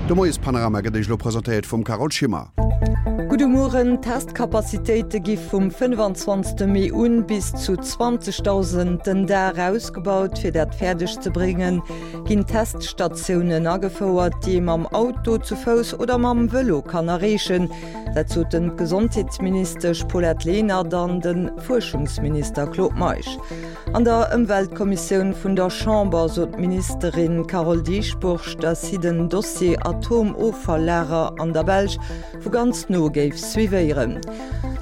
De Moiespanorama gëtt Iech elo presentéiert vum Carole Schimmer. Gudde Mueren, D'Testcapacitéite gi vum 25 Mee un bis zu 20.000 den Dag ausgebaut. Fir dat fäerdeg ze bréngen, ginn Teststatiounen agefouert, déi ee mam Auto, zu Fouss oder mam Vëlo kann erreechen. Dat soten d'Gesondheetsministesch Paulette Lenert an de Fuerschungsminister Claude Meisch. An der Ëmweltkommissioun vun der Chamber sot d'Ministerin Carole Dieschbourg, datt si den Dossier Atomoffalllager an der Belsch vu ganz no géif suivéieren.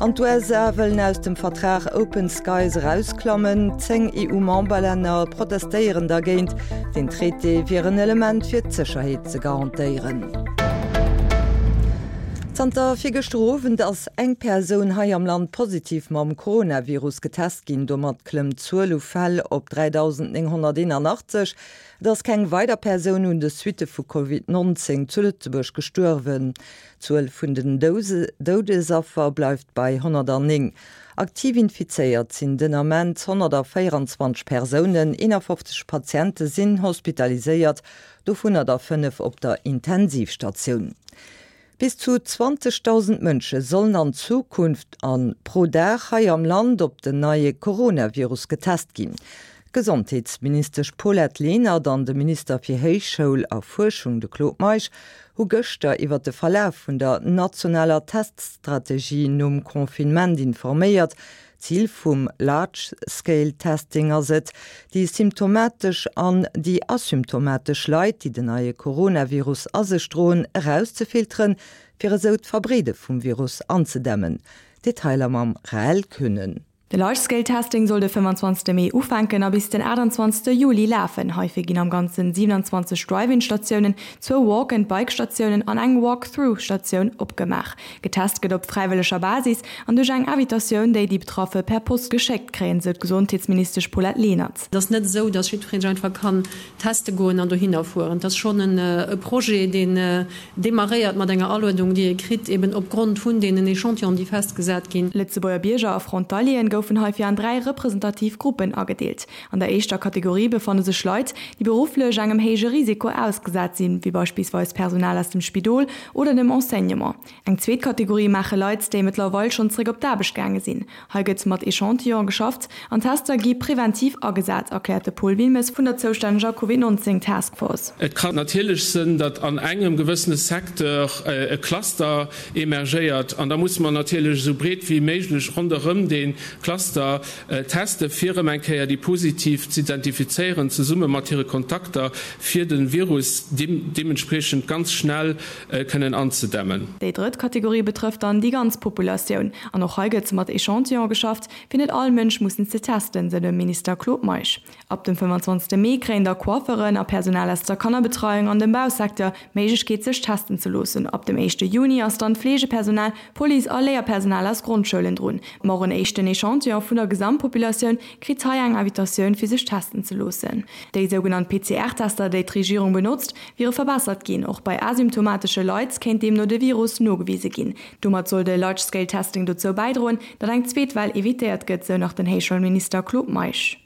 An d'USA wëllen aus dem Vertrag Open Skies erausklammen. 10 EU-Memberlänner protestéieren dergéint. Den Traité wier en Element fir d'Sécherheet ze garantéieren. Zanter virgëschter Owend ass eng Persoun hei am Land positiv mam Coronavirus getest ginn. Domat klëmmt d'Zuel u Fäll op 3.981. Et ass keng weider Persoun un de Suitte vu Covid 19 zu Lëtzebuerg gestuerwen. D'Zuel vun den Doudesaffer bleift bei 109. Aktiv infizéiert sinn den Ament 124 Persounen, 51 Patiente sinn hospitaliséiert, dovunner der 5 op der Intensivstatioun. Bis zu 20.000 Mënsche sollen an Zukunft a pro Dag hei am Land op den neie Coronavirus getest ginn. D'Gesondheetsministesch Paulette Lenert an de Minister fir Héichschoul a Fuerschung, de Claude Meisch, hu gëschter iwwer de Verlaf vun der nationaler Teststrategie nom Confinement informéiert. Zil vum Large Scale Testing ass et, déi symptomatesch an déi asymptomatesch Leit, déi den neie Coronavirus a sech droen, erauszefilteren, fir esou d'Verbreede vum Virus anzedämmen. Detailer mam Rahel Kühnen. De Large Scale Testing soll de 25 Mee ufänken a bis den 28 Juli lafen. Heifir ginn am Ganzen 27 Drive-In-Statiounen, zwou Walk-and-Bike-Statiounen an eng Walk-Through-Statioun opgemaach. Getest gëtt op fräiwëlleger Basis an duerch eng Invitatioun, déi déi Betraffe per Post geschéckt kréien, sou d'Gesondheetsministesch Paulette Lenert. Et ass net esou, datt jiddweree sech einfach kann teste goen an dohinner fueren. Et ass schonn e Projet, deen demarréiert mat enger Aluedung, déi ee kritt, eben opgrond vun deenen Echantillonen, déi festgesat ginn. Lëtzebuerger Bierger a Frontalieren goufen heifir an 3 representativ Gruppen agedeelt. An der éischter Kategorie befanne sech Leit, déi berufflech engem héije Risiko ausgesat sinn, wéi beispillsweis Personal aus dem Spidol oder dem Enseignement. Eng zweet Kategorie maache Leit, déi mëttlerweil schonn zeréck op d'Aarbecht gaange sinn. Hei gëtt mat Echantillone geschafft an Tester gi preventiv agesat, erkläert de Paul Wilmes vun der zoustänneger Covid 19 Task Force. Et kann natierlech sënn, datt an engem gewëssene Secteur e Cluster emergéiert an da musse mer natierlech esou breet wéi méiglech ronderëm dee Cluster Teste fir erëm eng Kéier déi Positiv z'identifizéieren, zesumme mat hire Kontakter, fir de Virus deementspriechend ganz schnell kënnen anzedämmen. Déi drëtt Kategorie betrëfft dann déi ganz Populatioun. An och hei gëtt mat Echantillone geschafft, fir net all Mënsch mussen ze testen, sou de Minister Claude Meisch. Ab dem 25 Mee kréien da Coifferen a Personal aus der Kannerbetreiung an dem Bausecteur d'Méiglechkeet sech testen ze loossen. Ab dem éischte Juni ass dann d'Fleegepersonal, Police a Léierpersonal aus Grondschoulen drun. Ma och en éischten Echantillon vun der Gesamtpopulatioun kritt hei eng Invitatioun fir sech testen ze loossen. Déi sougenannt PCR-Tester, déi d'Regierung benotzt, wiere verbessert ginn. Och bei asymptomatesche Leit kéint deemno de Virus nogewise ginn. Domat soll de Large Scale Testing dozou bäidroen, datt eng zweet Well evitéiert gëtt, sou nach den Héichschoulminister Claude Meisch.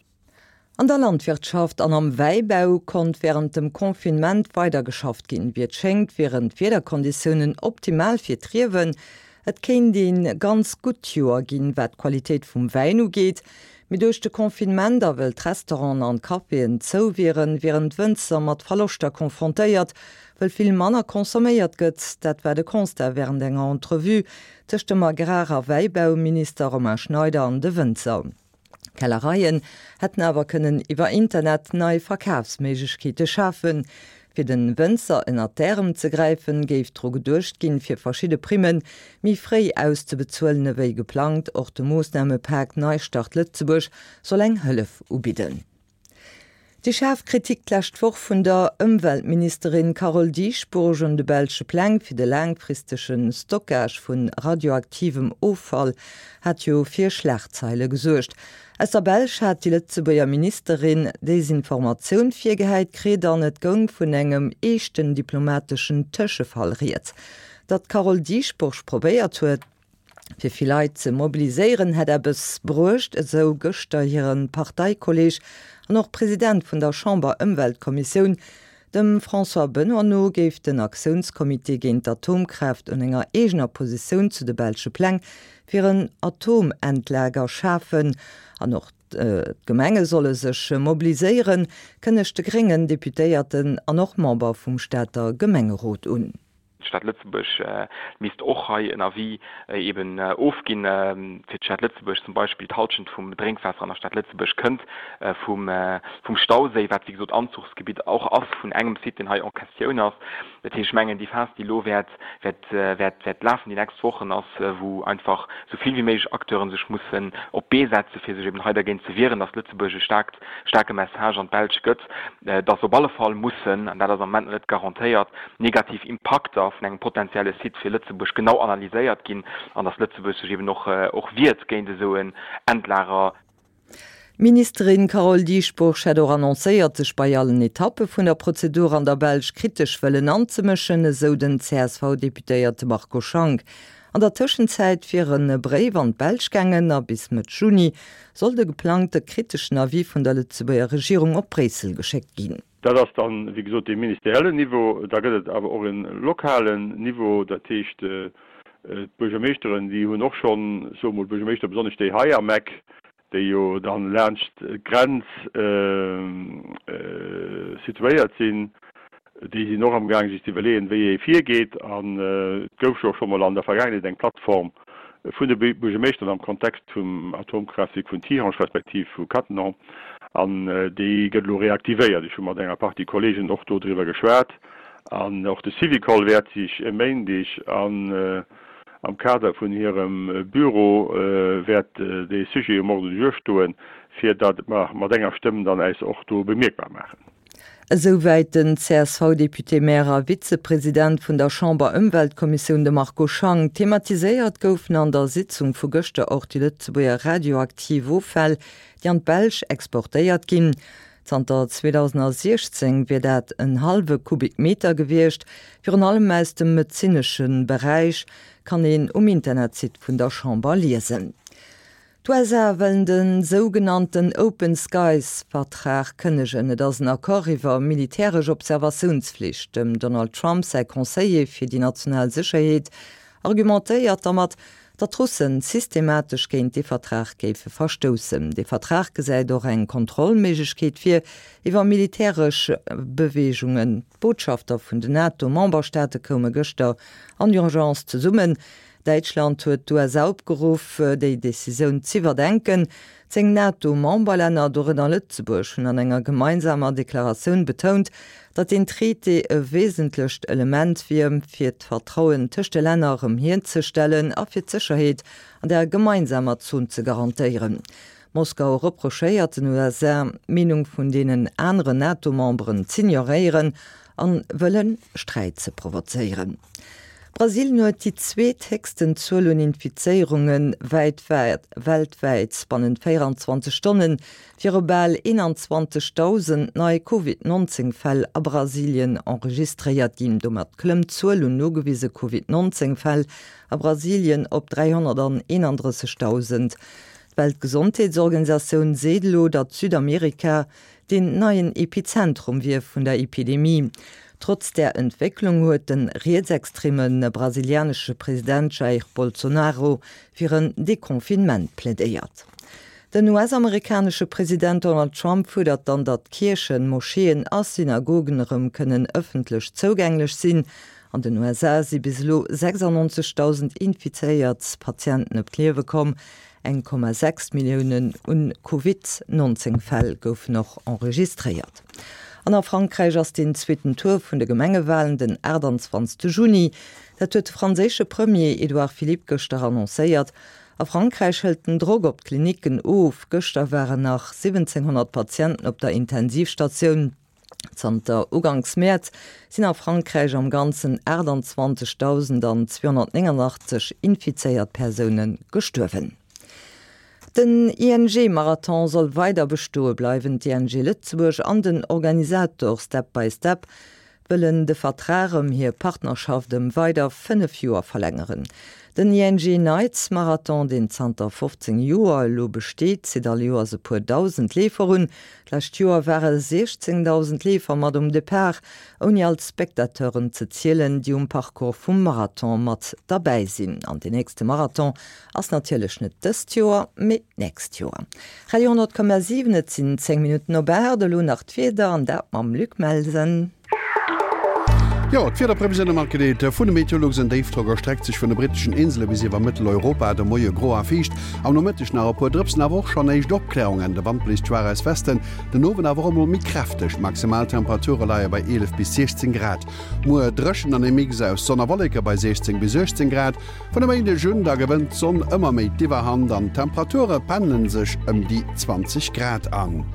An der Landwirtschaft an am Wäibau konnt wärend dem Confinement weider geschafft ginn. Wéi et schéngt, wieren d'Wiederkonditiounen optimal fir d'Riewen. Et kéint ee ganz gutt Joer ginn, wat d'Qualitéit vum Wäin ugeet. Mee duerch de Confinement a wëll d'Restauranten an d'Caféen zou wieren, wieren d'Wënzer mat Verloschter confrontéiert, wëll vill manner consomméiert gëtt. Dat war de Constat wärend enger Entrevue tëscht dem Agrar a Wäibauminister Romain Schneider an de Wënzer. D'Kellereien hätten awer kënnen iwwer Internet nei Verkafsméiglechkeete schafen. Fir den Wënzer ënnert d'Ärem ze gräifen, géif dru geduecht ginn, fir verschidde Primme méi fréi auszebezuelen ewéi geplangt. Och de Moossnamepak Neistart Lëtzebuerg soll eng Hëllef ubidden. Déi schaarf Kritik d'lescht Woch vun der Ëmweltministerin Carole Dieschbourg un de belsche Pläng fir de laangfristege Stockage vu radioaktivem Offall hat jo fir Schlagzeile gesuergt. Aus der Belsch hat déi Lëtzebuerger Ministerin Desinformatioun virgehäit kritt an et goung vun engem eeschten diplomateschen Tëschefall rieds. Datt d'Carole Dieschbourg probéiert huet, Fir vill Leit ze mobiliséieren hätt eppes bruecht, esou gëschter hire Parteikolleeg an och President vun der Chamber-Ëmweltkommissioun. Dem François Benoy no géif den Aktiounscomité géint d'Atomkraaft un enger eegener Positioun zu de belsche Pläng fir en Atomendlager schafen. An och d'Gemenge solle sech mobiliséieren, kënnegt de gréngen Deputéierten an och Member vum Stater Gemengerot un. D'Stad Lëtzebuerg misst och hei en Avis eben ofginn. Fir d'Stad Lëtzebuerg zum Beispill, d'Hallschent vum Drénkwaasser an der Stad Lëtzebuerg kënnt vum Stauséi, wat wéi gesot Anzuchsgebitt och ass vun engem Site, deen hei en questioun ass. Dat heescht, ech mengen, déi Phas, déi elo wäert wäert lafen déi nächst Wochen, ass, wou einfach esou vill wéi méiglech Acteuren sech mussen op d'Bee setzen, fir sech eben hei dergéint ze wieren, dass Lëtzebuerg e staarkt, staarke Message an d'Belsch gëtt, dass op alle Fall mussen, an dat ass am Moment nach net garantéiert, negativ Impakter vun engem potenzielle Site fir Lëtzebuerg genau analyséiert ginn an dass Lëtzebuerg sech eben och och wiert géint esou en Endlager. D'Ministerin Carole Dieschbourg hätt och annoncéiert, sech bei allen Etappe vun der Prozedur an der Belsch kritesch wëllen anzemëschen, esou den CSV-Deputéierte Marco Schank. An der Tëschenzäit wier e Bréif an d'Belsch gaangen a bis Mëtt Juni soll de geplangte kriteschen Avis vun der Lëtzebuerger Regierung op Bréissel geschéckt ginn. Dat ass dann, wéi gesot, dee ministeriellen Niveau. Da gëtt et awer och e lokalen Niveau, dat heescht, d'Buergermeeschteren, déi hunn och schonn, soe mol d'Buergermeeschter, besonnesch déi hei am Eck, déi jo dann laanscht d'Grenz situéiert sinn, déi sinn och amgaang sech ze iwwerleeën, wéi ee virgeet. An et gouf jo och scho mol an der Vergaangenheet eng Plattform vun de Buergermeeschteren am Kontext vum Atomkraaftwierk vun Tihange respektiv vu Cattenom, an déi gëtt elo reaktivéiert. Ech hu mat enger Partie Kollegen och do driwwer geschwat. An och de Syvicol wäert sech e Méindeg an am Kader vun hirem Büro wäert dee Sujet um Ordre du jour stoen, fir datt mer mat enger Stëmm dann äis och do bemierkbar maachen. Esouwäit den CSV-Député-Maire a Vizepresident vun der Chamber-Ëmweltkommissioun, de Marco Schank. Thematiséiert goufen an der Sitzung vu gëschter och déi Lëtzebuerger radioaktiv Offäll, déi an d'Belsch exportéiert ginn. Zanter 2016 wier dat en hallwe Kubikmeter gewiescht, virun allem aus dem medezinesche Beräich, kann een um Internetsite vun der Chamber liesen. D'USA wëllen de sougenannten Open Skies Vertrag kënnegen. Et ass en Accord iwwer militäresch Observatiounsflicht. Dem Donald Trump säi Conseiller fir déi national Sécherheet argumentéiert dermat, datt d'Russen systematesch géint dee Vertrag géife verstoussen. Dee Vertrag gesäit och eng Kontrollméiglechkeet vir iwwer militäresch Beweegungen. D'Botschafter vun den NATO-Memberstaate koume gëschter an Urgence zesummen. Däitschland huet d'USA opgeruff, déi Decisioun z'iwwerdenken. 10 NATO-Memberlänner, dorënner Lëtzebuerg, hunn an enger gemeinsamer Deklaratioun betount, datt deen Traité e wesentlecht Element wier, fir d'Vertrauen tëscht de Länner erëm hierzestellen a fir d'Sécherheet an der gemeinsamer Zon ze garantéieren. Moskau reprochéiert den USA, d'Meenung vun deenen aneren NATO-Memberen z'ignoréieren an wëlle Sträit ze provozéieren. Brasilien huet déi zweet héchsten Zuel un Infizéierunge weltwäit. Bannent 24 Stonne wiere bal 21.000 nei Covid-19 Fäll a Brasilien enregistréiert ginn. Domat klëmmt d'Zuel un nogewise Covid-19 Fäll a Brasilien op 331.000. D'Weltgesondheetsorganisatioun seet elo, datt Südamerika deen neien Epizentrum wier vun der Epidemie. Trotz där Entwécklung huet de rietsextreme brasilianesche President Jair Bolsonaro fir en Deconfinement plädéiert. Den US-amerikanesche President Donald Trump fuerdert dann, datt Kierchen, Moscheeën a Synagogen erëm kënnen ëffentlech zougänglech sinn. An den USA si bis elo 96.000 infizéiert Patienten ëm d'Liewe komm. 1,6 Milliounen un Covid 19 Fäll goufen och enregistréiert. An a Frankräich ass den zweeten Tour vun de Gemengewalen den 28 Juni. Dat huet de franséische Premier Edouard Philippe gëschter annoncéiert. A Frankräich hëlt den Drock op d'Klinicken of. Gëschter waren nach 1.700 Patienten op der Intensivstatioun. Zanter Uganks Mäerz sinn a Frankräich am Ganzen 28.289 infizéiert Persoune gestuerwen. Den ING-Marathon soll weider bestoe bleiwen. D'ING Lëtzebuerg an den Organisator Step by Step. wëllen de Vertrag ëm hir Partnerschaft ëm weider 5 Joer verlängeren. Den ING Nights Marathon, deen zanter 15 Joer elo besteet, zitt all Joers e puer dausend Leefer un. D'lescht Joer ware 16.000 Leefer mat um Depart, ouni all d'Spectateuren ze zielen, déi um Parcours vum Marathon mat derbäi sinn. An deen nächste Marathon ass natierlech net dëst Joer, mee d'nächst Joer. Radio 10,7, Et sinn 10 Minutten op 8, elo nach d'Wieder an dat mam Luc Melsen. Jo, d'Wiederprevisioune matgedeelt vun de Meteolux. En Déifdrock erstreckt sech vun de britteschen Insele bis iwwer Mëtteleuropa. De Moie gro a fiicht, am Nomëtteg nach e puer Drëpsen, awer och schonn éischt Opklärungen. De Wand bléist schwaach aus Westen, den Owend awer och emol méi kräfteg. D'Maximaltemperature leie bei 11 bis 16 Grad. Muer dréchen an e Mix aus Sonn a Wolleke bei 16 bis 18 Grad. Vun e Méindeg un da gewënnt d'Sonn ëmmer méi d'Iwwerhand an d'Temperature pendele sech ëm déi 20 Grad an.